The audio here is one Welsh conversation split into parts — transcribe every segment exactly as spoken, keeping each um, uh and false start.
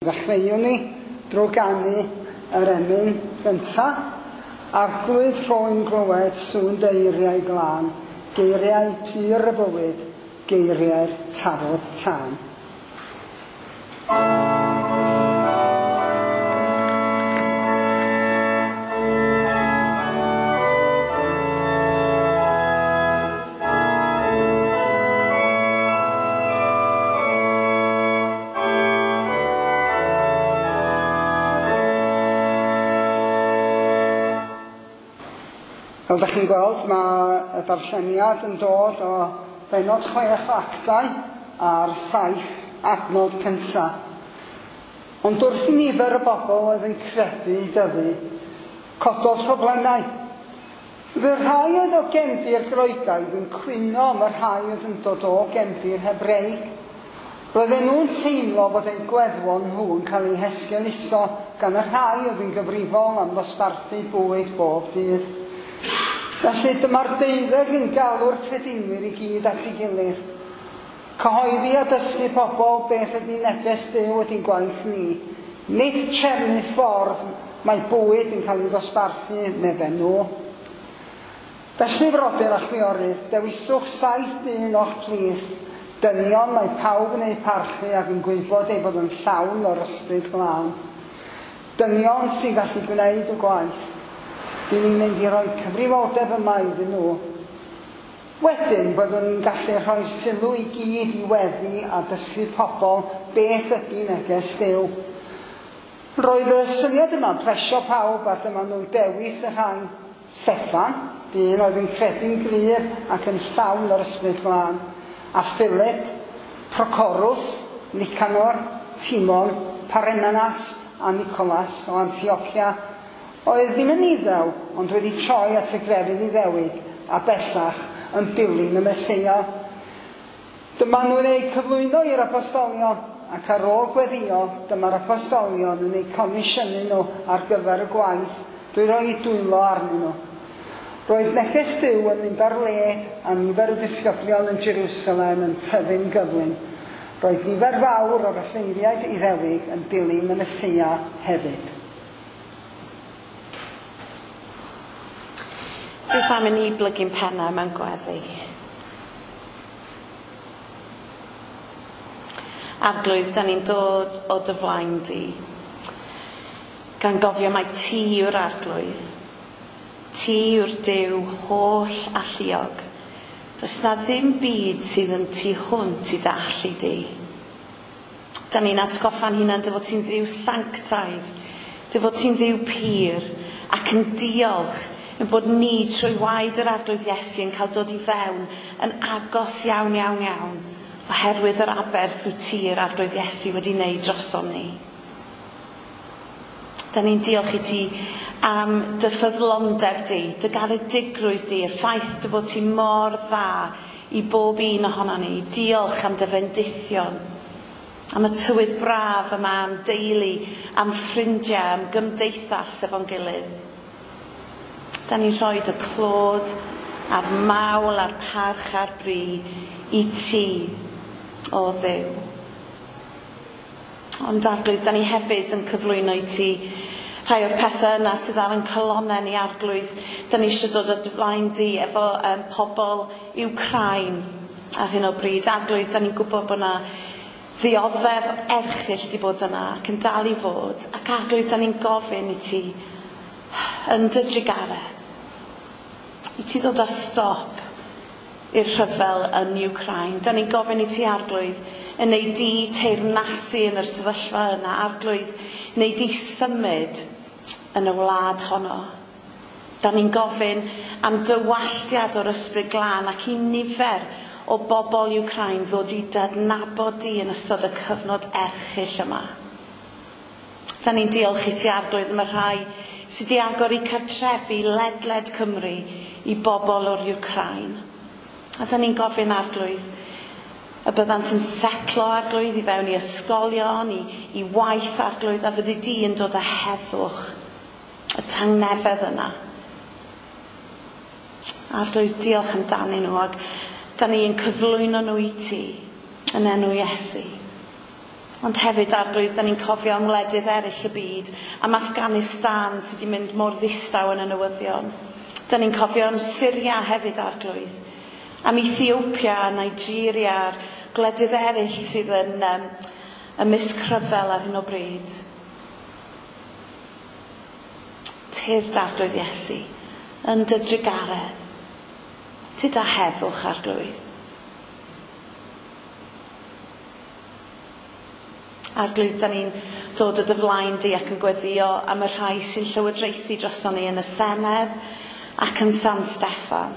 Ddechreuwn ni drwy ganu yr emyn gyntaf. Arglwydd rhoi'n glywed sŵn deiriau glân, geiriau pur y bywyd, geiriau'r tafod tân. Fel ydych chi'n gweld, mae y darlleniad yn dod o bennod chwech o Actau a'r saith adnod cyntaf. Ond wrth i nifer y bobl oedd yn credu i dyfu, cododd problemau. Fy rhai oedd o gefndir Groegaidd yn cwyno am y rhai oedd yn dod o gefndir Hebreig. Roedden nhw'n teimlo fod eu gweddwon nhw yn cael eu hesgeuluso gan y rhai oedd yn gyfrifol am ddosbarthu bwyd bob dydd. Felly dyma'r deuddeg yn galw'r credinwyr i gyd at ei gilydd. Cyhoeddi a dysgu pobl beth ydy neges Duw ydy gwaith ni. Nid trefnu ffordd mae bwyd yn cael ei ddosbarthu, medden nhw. Felly frodyr a chwiorydd, dewiswch saith dyn o'ch plith. Dynion mae pawb yn eu parchu ac yn gwybod eu bod yn llawn o'r ysbryd glân. Dynion sy'n gallu gwneud y gwaith. Dyn ni'n mynd i roi cyfrifoldeb yma iddyn nhw. Wedyn byddwn ni'n gallu rhoi sylw i gyd i weddi a dysgu pobl beth ydy neges Duw. Roedd y syniad yma'n plesio pawb a dyma nhw'n dewis y rhai. Steffan, dyn oedd yn credu'n gryf ac yn llawn o'r ysbryd glân, a Philip, Procorus, Nicanor, Timon, Parmenas a Nicolas o Antiochia, oedd ddim yn Iddew, ond wedi troi at y grefydd Iddewig a bellach yn dilyn y Meseia. Dyma nhw'n eu cyflwyno i'r apostolion, ac ar ôl gweddio, dyma'r apostolion yn eu comisiynu nhw ar gyfer y gwaith drwy roi dwylo arnyn nhw. Roedd neges Duw yn mynd ar led a nifer y disgyblion yn Jerusalem yn tyfu'n gyflym. Roedd nifer fawr o'r offeiriaid Iddewig yn dilyn y Meseia hefyd. Beth am i ni blygu'n pennau mewn gweddi? Arglwydd, da ni'n dod o dy flaen di, gan gofio mai ti yw'r Arglwydd. Ti yw'r Duw holl alluog. Does na ddim byd sydd yn tu hwnt i dy allu di. Da ni'n atgoffa'n hunan dy fod ti'n Dduw sanctaidd, dy fod ti'n Dduw pur, ac yn diolch yn bod ni trwy waed yr Arglwydd Iesu yn cael dod i fewn yn agos iawn, iawn, iawn, oherwydd yr aberth wyt ti yr Arglwydd Iesu wedi wneud drosom ni. Da ni'n diolch i ti am dy ffyddlondeb di, dy garedigrwydd di, y ffaith dy fod ti mor dda i bob un ohonon ni. Diolch am dy fendithion, am y tywydd braf yma, am deulu, am ffrindiau, am gymdeithas efo'n gilydd. Da ni'n rhoi dy clod a'r mawl a'r parch a'r bri i ti, o Dduw. Ond Arglwydd, da ni hefyd yn cyflwyno i ti rhai o'r pethau yna sydd ar yn calonnau ni, Arglwydd. Da ni eisiau dod o dy flaen di efo um, pobl Wcráin ar hyn o bryd. Arglwydd, da ni'n gwybod bod yna ddioddef erchyll di bod yna ac yn dal i fod. Ac Arglwydd, da ni'n gofyn i ti yn dy drugaredd, i ti ddod â stop i'r rhyfel yn Wcráin. Da ni'n gofyn i ti, Arglwydd, yn neu di teyrnasu yn yr sefyllfa yna, Arglwydd, neu di symud yn y wlad honno. Da ni'n gofyn am dywalltiad o'r ysbryd glân ac i nifer o bobl Wcráin ddod i adnabod di yn ystod y cyfnod erchyll yma. Da ni'n diolch i ti, Arglwydd, am y rhai sydd wedi agor eu cartrefi ledled Cymru i bobl o'r Wcráin. A da ni'n gofyn, Arglwydd, y byddant yn setlo, Arglwydd, i fewn i ysgolion, i, i waith, Arglwydd, a fyddi di yn dod â heddwch, y tangnefedd yna. Arglwydd, diolch amdanyn nhw, ac da ni'n cyflwyno nhw i ti yn enw Iesu. Ond hefyd, Arglwydd, da ni'n cofio am wledydd eraill y byd, am Afghanistan sydd wedi mynd mor ddistaw yn y newyddion. Da ni'n cofio am Syria hefyd, Arglwydd, am Ethiopia, Nigeria, a'r gwledydd eraill sydd yn um, ymysg rhyfel ar hyn o bryd. Tyrd, Arglwydd Iesu, yn dy drugaredd. Tyd â heddwch, Arglwydd. Arglwydd, da ni'n dod o dy flaen di ac yn gweddïo am y rhai sy'n llywodraethu droson ni yn y Senedd ac yn San Steffan.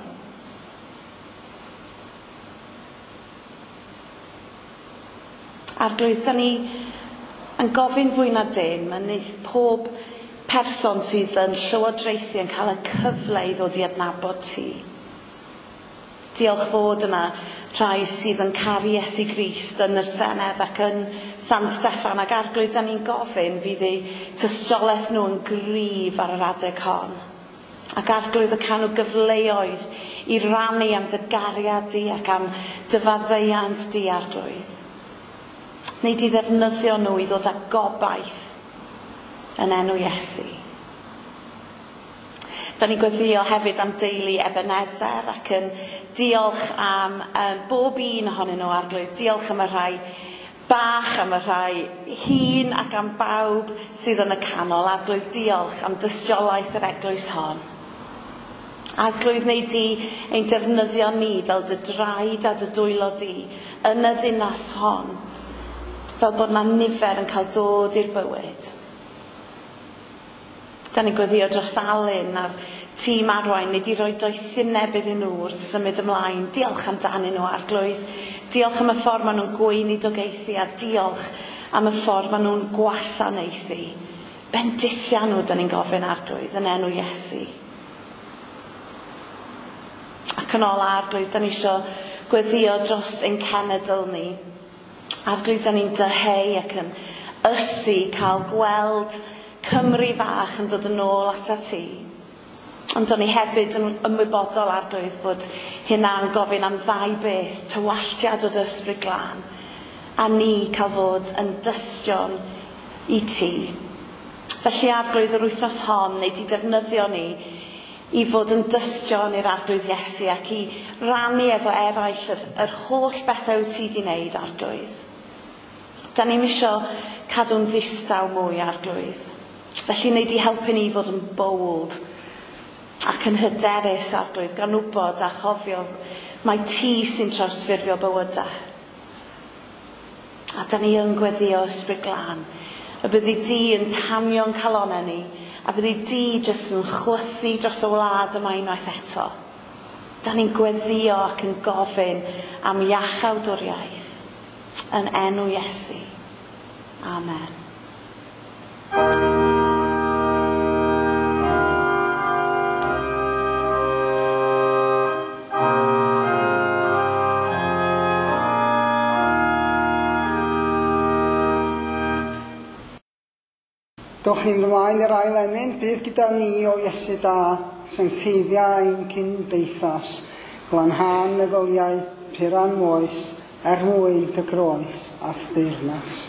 Arglwydd, da ni yn gofyn fwy na dim yn eith pob person sydd yn llywodraethu yn cael y cyfle i ddod i adnabod ti. Diolch fod yna rhai sydd yn caru Iesu Grist yn yr Senedd ac yn San Steffan, ac Arglwydd, da ni'n gofyn fydd eu tystiolaeth nhw yn gryf ar yr adeg hon. Ac Arglwydd, y cael nhw gyfleoedd i rannu am dy gariad di ac am dy faddeuant di, Arglwydd. Neu di ddefnyddio nhw i ddod â gobaith yn enw Iesu. Da ni'n gweddïo hefyd am deulu Ebenezer ac yn diolch am um, bob un ohonyn nhw, Arglwydd. Diolch am y rhai bach, am y rhai hŷn ac am bawb sydd yn y canol. Arglwydd, diolch am dystiolaeth yr eglwys hon. Arglwydd, neu di ein defnyddio ni fel dy draed a dy dwylo di yn y ddinas hon, fel bod 'na nifer yn cael dod i'r bywyd. Da ni'n gweddïo dros Alun a'r tîm arwain, neu di roi doethineb iddyn nhw wrth symud ymlaen. Diolch amdanyn nhw, Arglwydd. Diolch am y ffordd maen nhw'n gweinidogaethu a diolch am y ffordd maen nhw'n gwasanaethu. Bendithia nhw, da ni'n gofyn, Arglwydd, yn enw Iesu. Ac yn ola, Arglwydd, da ni isio gweddïo dros ein cenedl ni. Arglwydd, da ni'n dyheu ac yn ysu cael gweld Cymru fach yn dod yn ôl atat ti. Ond o'n i hefyd yn ymwybodol, Arglwydd, bod hynna'n gofyn am ddau beth, tywalltiad o dy Ysbryd Glân, a ni cael fod yn dystion i ti. Felly, Arglwydd, yr wythnos hon, neu di defnyddio ni i fod yn dystion i'r Arglwydd Iesu ac i rannu efo eraill yr, yr holl bethau wyt ti di wneud, Arglwydd. Da ni'm isio cadw'n ddistaw mwy, Arglwydd. Felly, wnei di helpu ni i fod yn bold ac yn hyderus, Arglwydd, gan wybod a chofio mai ti sy'n trawsffurfio bywydau. A da ni yn gweddïo, Ysbryd Glân, y byddi di yn tanio'n calonnau ni, a byddi di jyst yn chwythu dros y wlad yma unwaith eto. Da ni'n gweddïo ac yn gofyn am iachawdwriaeth yn enw Iesu. Amen. Dowch ni'n ymlaen i'r ail emyn, bydd gyda ni o Iesu da, sancteiddia ein cymdeithas, glanhân meddyliau, puran moes, er mwyn dy groes a'th deyrnas.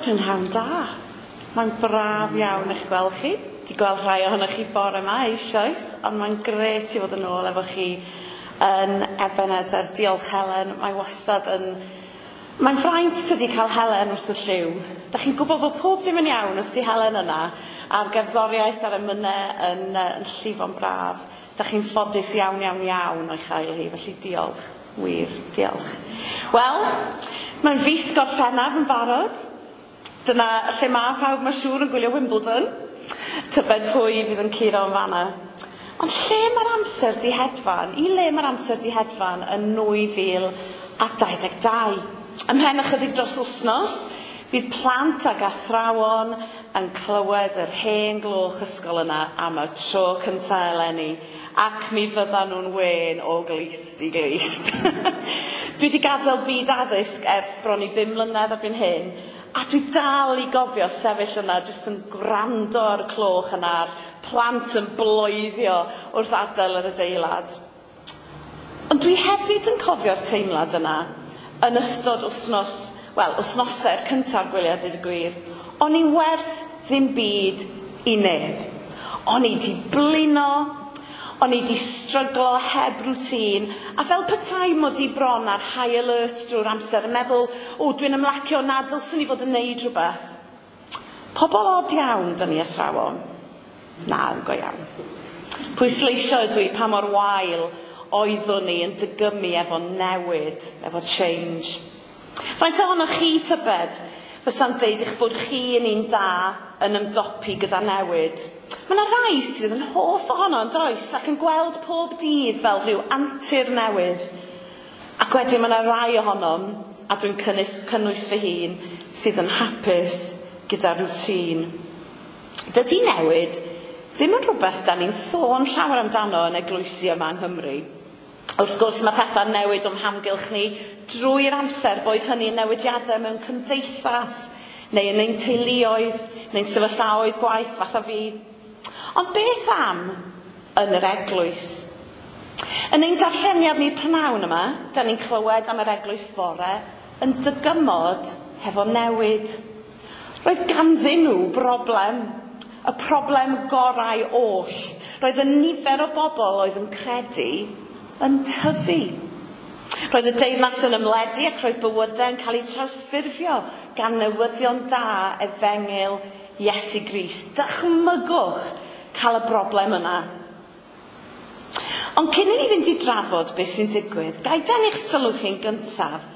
Prynhawn da. Mae'n braf iawn eich gweld chi. Di gweld rhai ohonoch chi bore yma eisoes, ond mae'n grêt i fod yn ôl efo chi yn Ebenezer. Diolch Helen, mae wastad yn... Mae'n fraint tydi cael Helen wrth y llyw. Da chi'n gwybod bod pob dim yn iawn os di Helen yna, a'r gerddoriaeth a'r emynau yn, yn llifo'n braf. Da chi'n ffodus iawn, iawn, iawn o'i chael hi, felly diolch, wir, diolch. Wel, mae'n fis Gorffennaf yn barod. Dyna lle mae pawb, mae'n siŵr, yn gwylio Wimbledon. Tybed pwy fydd yn curo yn fanna. Ond lle mae'r amser di hedfan? I le mae'r amser di hedfan yn nwy fil a dau ddeg dau? Ymhen ychydig dros wythnos, Fydd plant ag athrawon yn clywed yr hen gloch ysgol yna am y tro cyntaf eleni, ac mi fyddan nhw'n wên o glust i glust. Dwi wedi gadael byd addysg ers bron i bum mlynedd erbyn hyn, a dwi dal i gofio sefyll yna jyst yn gwrando ar y cloch yna, a'r plant yn bloeddio wrth adael yr adeilad. Ond dwi hefyd yn cofio'r teimlad yna yn ystod wythnos, wel, wythnosau'r cyntaf gwyliau, dweud y gwir. O'n i werth ddim byd i neb. O'n i di blino, o'n i di stryglo heb rwtîn, a fel petai mod i bron ar high alert drwy'r amser yn meddwl, o, dwi'n ymlacio na dylswn i fod yn neud rhywbeth. Pobl od iawn, dyn ni athrawon. Na, yn go iawn. Pwysleisio ydw i pa mor wael oeddwn ni yn dygymu efo newid, efo change. Faint ohonoch chi tybed fysa'n deud eich bod chi yn un da yn ymdopi gyda newid? Mae yna rai sydd yn hoff ohono yn does, ac yn gweld pob dydd fel rhyw antur newydd. Ac wedyn mae yna rai ohonom, a dwi'n cynnwys, cynnwys fy hun, sydd yn hapus gyda rwtîn. Dydy newid ddim yn rhywbeth da ni'n sôn llawer amdano yn eglwysi yma yng Nghymru. Wrth gwrs mae pethau'n newid o'n hamgylch ni drwy'r amser, boed hynny yn newidiadau mewn cymdeithas, neu yn ein teuluoedd, neu'n sefyllfaoedd gwaith fatha fi. Ond beth am yn yr eglwys? Yn ein darlleniad ni prynhawn yma, da ni'n clywed am yr eglwys fore yn dygymod hefo newid. Roedd ganddyn nhw broblem, y problem gorau oll. Roedd y nifer o bobl oedd yn credu yn tyfu. Roedd y deyrnas yn ymledu ac roedd bywydau yn cael eu trawsffurfio gan newyddion da efengyl Iesu Grist. Dychmygwch cael y broblem yna. Ond cyn i ni fynd i drafod beth sy'n digwydd, ga i dynnu'ch sylw chi'n gyntaf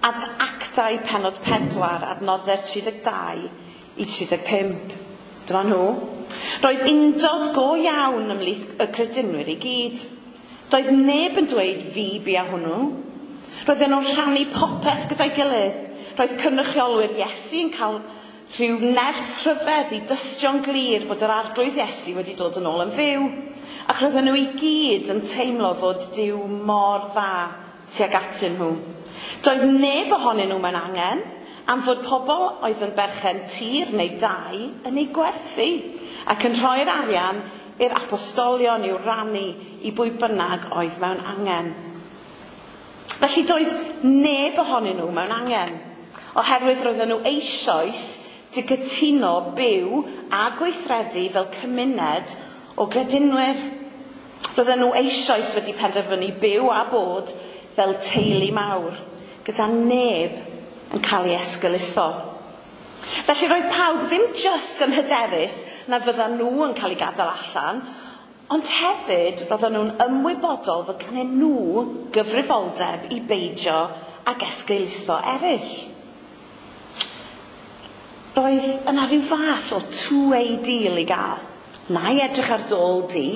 at Actau pennod pedwar, adnodau tri deg dau i tri deg pump. Dyma nhw. Roedd undod go iawn ymhlith y credinwyr i gyd. Doedd neb yn dweud fi bia hwnnw. Roedden nhw'n rhannu popeth gyda'i gilydd. Roedd cynrychiolwyr Iesu yn cael rhyw nerth rhyfedd i dystio'n glir fod yr arglwydd Iesu wedi dod yn ôl yn fyw. Ac roedden nhw i gyd yn teimlo fod Duw mor dda tuag atyn nhw. Doedd neb ohonyn nhw mewn angen, am fod pobl oedd yn berchen tir neu dai yn ei gwerthu ac yn rhoi'r arian i'r apostolion i'w rannu i bwy bynnag oedd mewn angen. Felly doedd neb ohonyn nhw mewn angen, oherwydd roedden nhw eisoes 'di cytuno byw a gweithredu fel cymuned o gredinwyr. Roedden nhw eisoes wedi penderfynu byw a bod fel teulu mawr, gyda neb yn cael ei esgeuluso. Felly roedd pawb ddim jyst yn hyderus na fyddan nhw yn cael ei gadael allan, ond hefyd roedden nhw'n ymwybodol fod ganddyn nhw gyfrifoldeb i beidio ag esgeuluso eraill. Roedd yna rhyw fath o two-way deal i gael. Na i edrych ar dy ôl di,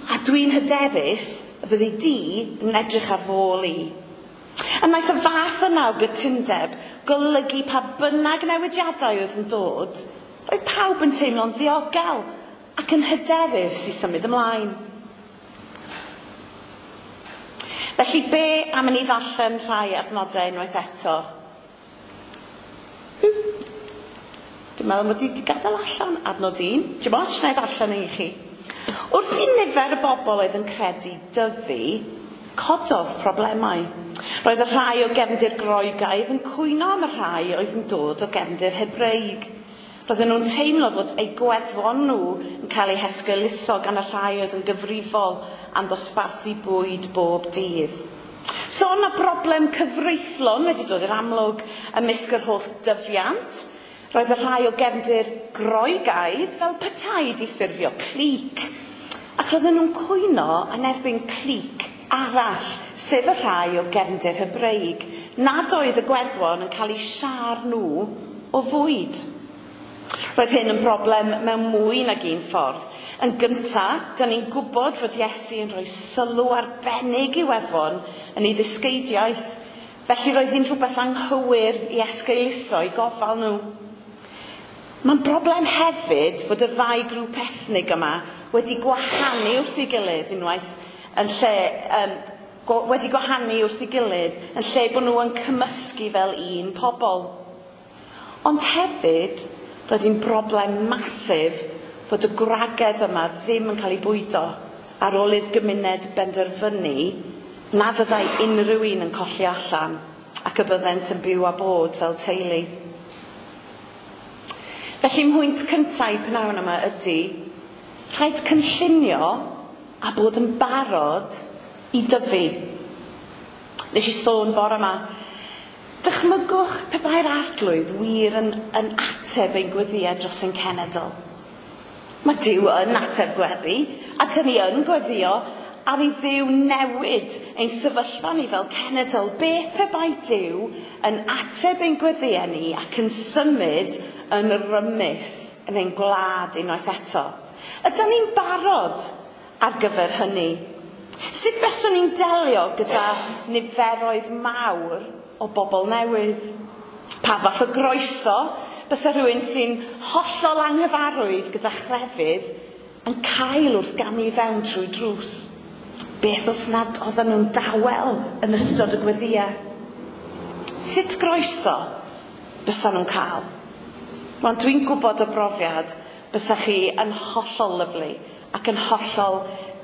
a dwi'n hyderus y byddi di yn edrych ar fy ôl i. A wnaeth y fath yna o gytundeb golygu pa bynnag newidiadau oedd yn dod, roedd pawb yn teimlo'n ddiogel ac yn hyderus i symud ymlaen. Felly be am i ni ddarllen rhai adnodau unwaith eto? Dwi'n meddwl mod i wedi gadael allan adnod un. Dim ots, na i ddarllen un i chi. Wrth i nifer y bobl oedd yn credu dyfu, cododd problemau. Roedd y rhai o gefndir Groegaidd yn cwyno am y rhai oedd yn dod o gefndir Hebreig. Roedden nhw'n teimlo fod eu gweddwon nhw yn cael eu hesgeuluso gan y rhai oedd yn gyfrifol am ddosbarthu bwyd bob dydd. So yna broblem cyfreithlon wedi dod i'r amlwg ymysg yr holl dyfiant. Roedd y rhai o gefndir Groegaidd fel petai 'di ffurfio clic. Ac roedden nhw'n cwyno yn erbyn clic arall, sef y rhai o gefndir Hebreig, nad oedd y gweddwon yn cael eu siâr nhw o fwyd. Roedd hyn yn broblem mewn mwy nag un ffordd. Yn gynta, da ni'n gwybod fod Iesu yn rhoi sylw arbennig i weddwon yn ei ddysgeidiaeth. Felly roedd hi'n rhywbeth anghywir i esgeuluso i gofal nhw. Mae'n broblem hefyd fod y ddau grŵp ethnig yma wedi gwahanu wrth ei gilydd unwaith yn lle, um, wedi gwahanu wrth ei gilydd yn lle bod nhw yn cymysgu fel un pobl. Ond hefyd, roedd hi'n broblem masif fod y gwragedd yma ddim yn cael ei bwydo ar ôl i'r gymuned benderfynu na fyddai unrhyw un yn colli allan ac y byddent yn byw a bod fel teulu. Felly mhwynt cyntaf i pnawn yma ydy, rhaid cynllunio a bod yn barod i dyfu. Nes i sôn bore yma, dychmygwch pe bai'r arglwydd wir yn, yn ateb ein gweddïau dros ein cenedl. Mae Duw yn ateb gweddi, a dyn ni yn gweddio ar i Dduw newid ein sefyllfa ni fel cenedl. Beth pe bai Duw yn ateb ein gweddïau ni ac yn symud yn rymus yn ein gwlad unwaith eto? Ydyn ni'n barod ar gyfer hynny? Sut fyswn ni'n delio gyda niferoedd mawr o bobl newydd? Pa fath o groeso bysa rhywun sy'n hollol anghyfarwydd gyda chrefydd yn cael wrth gamu i fewn trwy drws? Beth os nad oedden nhw'n dawel yn ystod y gweddïau? Sut groeso bysa nhw'n cael? Wel, dwi'n gwybod o brofiad bysa chi yn hollol lyfli ac yn hollol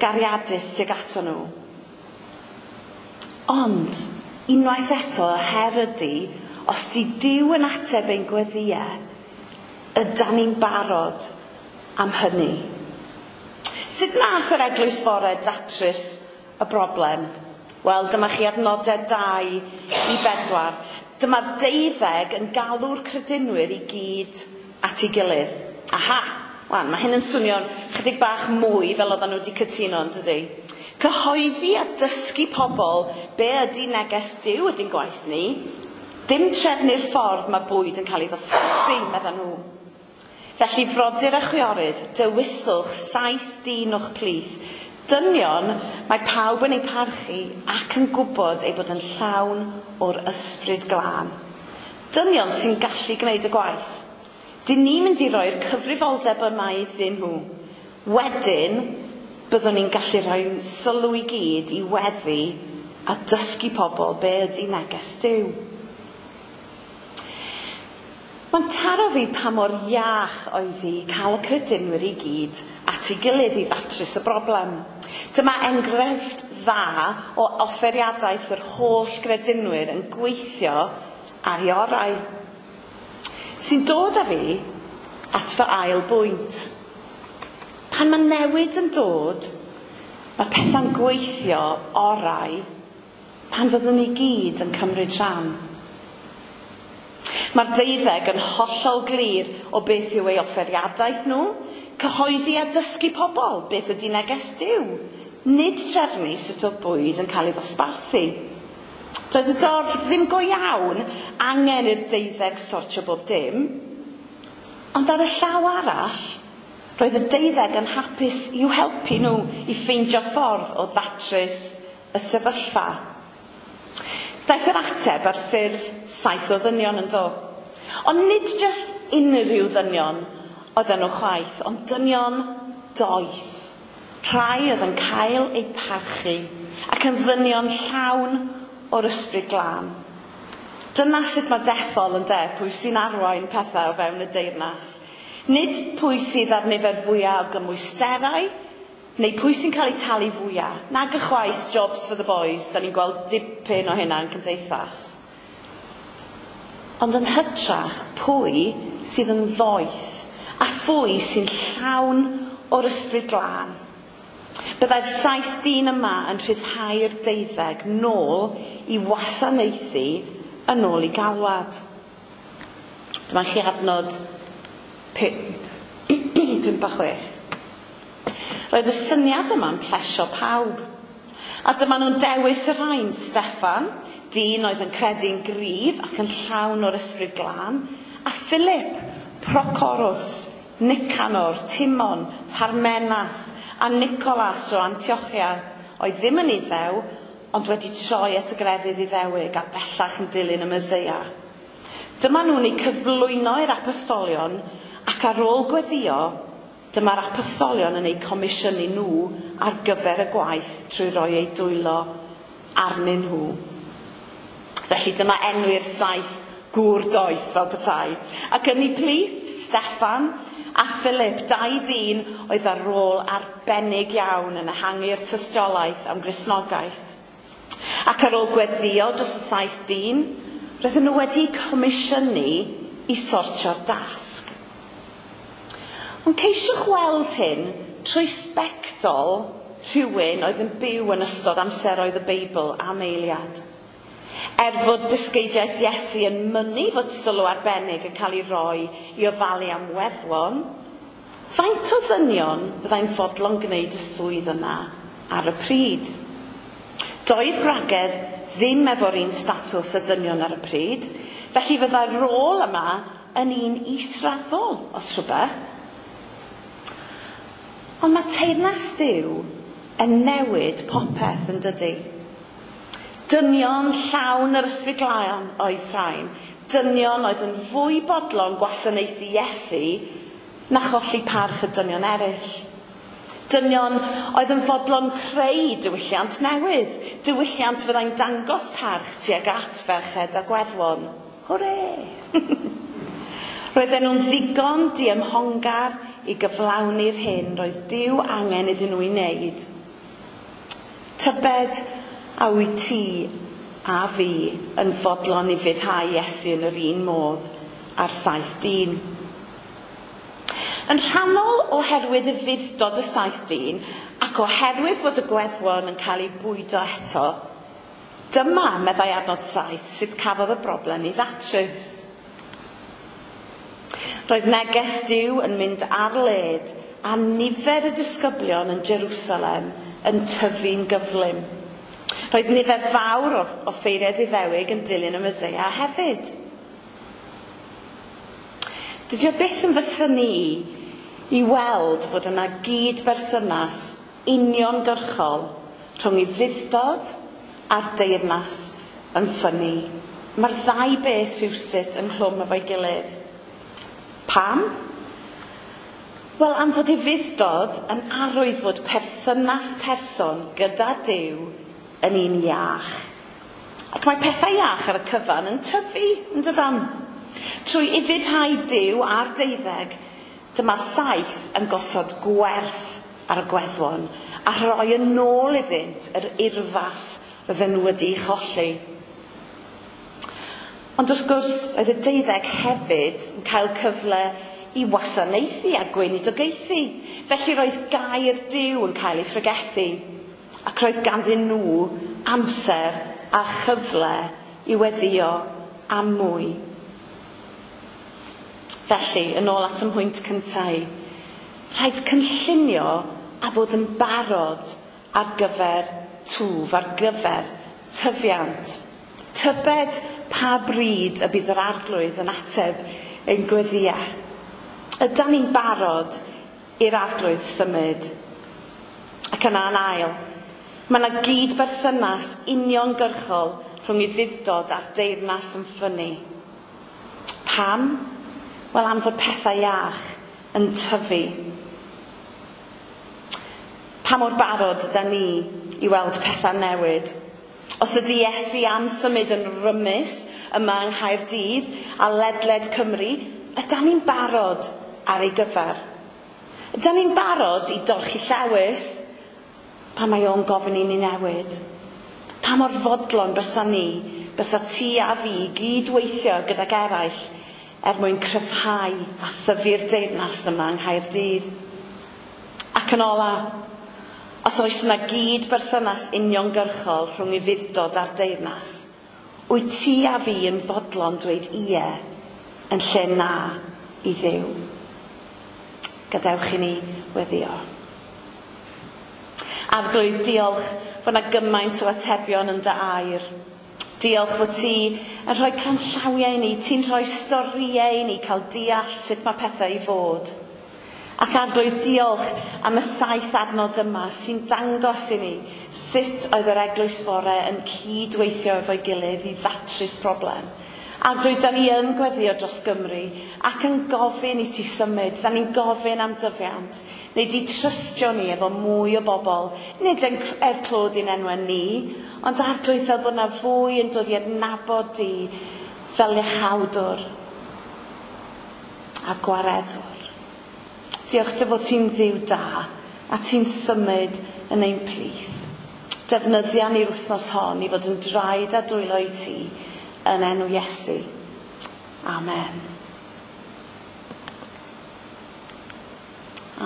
gariadus tuag ato nhw. Ond, unwaith eto, y her ydy, os di Duw yn ateb ein gweddïau, ydan ni'n barod am hynny? Sut nath yr eglwys fore datrys y broblem? Wel, dyma chi adnodau dau i bedwar. Dyma'r deuddeg yn galw'r credinwyr i gyd at ei gilydd. Aha, wan, mae hyn yn swnio'n chydig bach mwy fel oedden nhw wedi cytuno, yn dydi? Cyhoeddi a dysgu pobl be ydy neges Duw ydy'n gwaith ni, dim trefnu'r ffordd mae bwyd yn cael ei ddosbarthu, medden nhw. Felly, frodyr a chwiorydd, dewiswch saith dyn o'ch plith. Dynion, mae pawb yn eu parchu ac yn gwybod eu bod yn llawn o'r ysbryd glân. Dynion sy'n gallu gwneud y gwaith. Dyn ni'n mynd i roi'r cyfrifoldeb yma iddyn nhw. Wedyn, byddwn ni'n gallu rhoi sylw i gyd i weddi a dysgu pobl be ydy neges Duw. Mae'n taro fi pa mor iach oedd hi cael y credinwyr i gyd at ei gilydd i ddatrys y broblem. Dyma enghraifft dda o offeriadaeth yr holl gredinwyr yn gweithio ar ei orau. Sy'n dod â fi at fy ail bwynt. Pan mae newid yn dod, mae pethau'n gweithio orau pan fyddwn ni gyd yn cymryd rhan. Mae'r deuddeg yn hollol glir o beth yw ei offeriadaeth nhw, cyhoeddi a dysgu pobl beth ydy neges Duw, nid trefnu sut oedd bwyd yn cael ei ddosbarthu. Doedd y dorf ddim go iawn angen i'r deuddeg sortio bob dim, ond ar y llaw arall, roedd y deuddeg yn hapus i'w helpu nhw i ffeindio ffordd o ddatrys y sefyllfa. Daeth yr ateb ar ffurf saith o ddynion yn do. Ond nid jyst unrhyw ddynion oedden nhw chwaith, ond dynion doeth. Rhai oedd yn cael eu parchu ac yn ddynion llawn o'r ysbryd glân. Dyna sut mae dethol yn de, pwy sy'n arwain pethau o fewn y deyrnas. Nid pwy sydd ar nifer fwyaf o gymwysterau, neu pwy sy'n cael ei talu fwyaf. Nag ychwaith jobs for the boys, da ni'n gweld dipyn o hynna yn cymdeithas. Ond yn hytrach, pwy sydd yn ddoeth a phwy sy'n llawn o'r ysbryd glân. Byddai'r saith dyn yma yn rhyddhau'r deuddeg nôl i wasanaethu yn ôl i galwad. Dyma chi adnod pump, pump a chwech. Roedd y syniad yma'n plesio pawb. A dyma nhw'n dewis y rhain, Steffan, dyn oedd yn credu'n gryf ac yn llawn o'r ysbryd glân, a Philip, Procorus, Nicanor, Timon, Parmenas a Nicolas o Antiochia, oedd ddim yn Iddew, ond wedi troi at y grefydd Iddewig a bellach yn dilyn y Meseia. Dyma nhw'n eu cyflwyno i'r apostolion ac ar ôl gweddio, dyma'r apostolion yn eu comisiynu nhw ar gyfer y gwaith trwy roi eu dwylo arnyn nhw. Felly dyma enwi'r saith gŵr doeth fel petai. Ac yn eu plith, Steffan a Philip, dau ddyn oedd ar rôl arbennig iawn yn ehangu'r tystiolaeth am Gristnogaeth. Ac ar ôl gweddio dros y saith dyn, roedden nhw wedi comisiynu i sortio'r dasg. Ond ceisiwch weld hyn trwy sbectol rhywun oedd yn byw yn ystod amseroedd y Beibl am eiliad. Er fod dysgeidiaeth Iesu yn mynnu fod sylw arbennig yn cael ei roi i ofalu am weddwon, faint o ddynion fyddai'n fodlon gwneud y swydd yna ar y pryd? Doedd gwragedd ddim efo'r un statws y dynion ar y pryd, felly fyddai'r rôl yma yn un israddol os rhywbeth. Ond mae teyrnas Dduw yn newid popeth yn dydy. Dynion llawn yr ysbryd glân oedd rhain. Dynion oedd yn fwy bodlon gwasanaethu Iesu na cholli parch y dynion eraill. Dynion oedd yn fodlon creu diwylliant newydd. Diwylliant fyddai'n dangos parch tuag at ferched a gweddwon. Hwre! Roedden nhw'n ddigon diymhongar i gyflawni'r hyn roedd Duw angen iddyn nhw i wneud. Tybed a wyt ti a fi yn fodlon i fuddhau Iesu yn yr un modd a'r saith dyn. Yn rhannol oherwydd ufudd-dod y saith dyn ac oherwydd fod y gweddwon yn cael eu bwydo eto, dyma, meddai adnod saith, sut cafodd y broblem ei ddatrys. Roedd neges Duw yn mynd ar led a nifer y disgyblion yn Jerusalem yn tyfu'n gyflym. Roedd nifer fawr o offeiriaid Iddewig yn dilyn y Meseia hefyd. Dydy o byth yn fy synnu i i weld fod yna gyd-berthynas uniongyrchol rhwng ufudd-dod a'r deyrnas yn ffynnu. Mae'r ddau beth rhywsut ynghlwm efo'i gilydd. Pam? Wel, am fod ufudd-dod yn arwydd fod perthynas person gyda Duw yn un iach. Ac mae pethau iach ar y cyfan yn tyfu, yn dydan? Trwy ufuddhau Duw a'r deuddeg, dyma saith yn gosod gwerth ar y gweddwon a rhoi yn ôl iddynt yr urddas roedden nhw wedi'i cholli. Ond wrth gwrs, roedd y deuddeg hefyd yn cael cyfle i wasanaethu a gweinidogaethu. Felly roedd gair Duw yn cael ei phregethu, ac roedd ganddyn nhw amser a chyfle i weddio am mwy. Felly, yn ôl at y mhwynt cyntaf, rhaid cynllunio a bod yn barod ar gyfer twf, ar gyfer tyfiant. Tybed pa bryd y bydd yr Arglwydd yn ateb ein gweddïau. Ydan ni'n barod i'r Arglwydd symud? Ac yna yn ail, mae yna gyd-berthynas uniongyrchol rhwng ufudd-dod a'r deyrnas yn ffynnu. Pam? Wel, am fod pethau iach yn tyfu. Pa mor barod ydan ni i weld pethau newid? Os ydy Iesu am symud yn rymus yma yng Nghaerdydd a ledled Cymru, ydan ni'n barod ar ei gyfer? Ydan ni'n barod i dorchi llewys pan mae o'n gofyn i ni newid? Pa mor fodlon bysa ni, bysa ti a fi gydweithio gydag eraill er mwyn cryfhau a thyfu'r deyrnas yma yng Nghaerdydd? Ac yn ola, os oes yna gyd-berthynas uniongyrchol rhwng ufudd-dod a'r deyrnas, wyt ti a fi yn fodlon dweud ie yn lle na i Dduw? Gadewch i ni weddio. Arglwydd, diolch fod yna gymaint o atebion yn dy air. Diolch fod ti yn rhoi canllawiau i ni, ti'n rhoi storïau i ni cael deall sut mae pethau i fod. Ac Arglwydd, diolch am y saith adnod yma sy'n dangos i ni sut oedd yr eglwys fore yn cydweithio efo'i gilydd i ddatrys problem. Arglwydd, da ni yn gweddio dros Gymru ac yn gofyn i ti symud, da ni'n gofyn am dyfiant. Neu di trystio ni efo mwy o bobl, nid yn er clod i'n enwau ni, ond Arglwydd fel bod na fwy yn dod i adnabod di fel iachawdwr a gwaredwr. Diolch dy fod ti'n ddiw da a ti'n symud yn ein plith. Defnyddia ni'r wythnos hon i fod yn draed a dwylo i ti yn enw Iesu. Amen.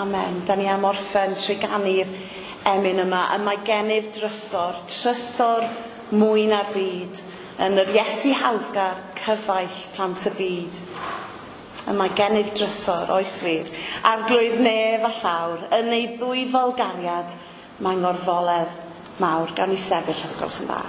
Amen. Da ni am orffen trwy ganu'r emyn yma. Y mae gennyf drysor, trysor mwy na'r byd, yn yr Iesu hawddgar, cyfaill plant y byd. Y mae gennyf drysor, oes wir, Arglwydd nef a llawr, yn ei ddwyfol gariad, mae'n ngorfoledd mawr. Gawn ni sefyll os gwelwch yn dda.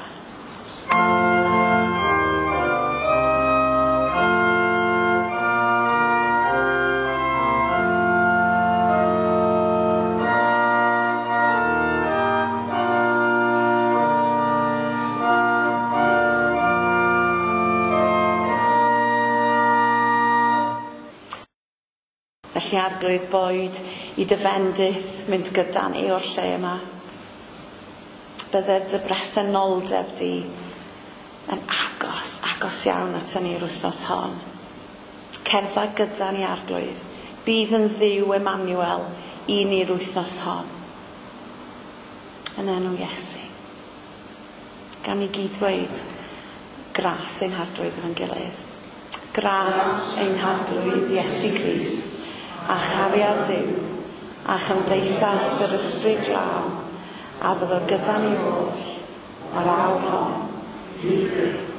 Felly Arglwydd, boed i dy fendith mynd gyda ni o'r lle yma. Bydde dy bresenoldeb di yn agos, agos iawn ato ni'r wythnos hon. Cerdda gyda ni, Arglwydd. Bydd yn Dduw Emmanuel i ni'r wythnos hon. Yn enw Iesu. Gan ni gyd ddweud gras ein Harglwydd efo'n gilydd. Gras ein Harglwydd Iesu Grist, a chariad Duw, a chymdeithas yr Ysbryd Glân, a fyddo gyda ni oll o'r awr hon, i byth.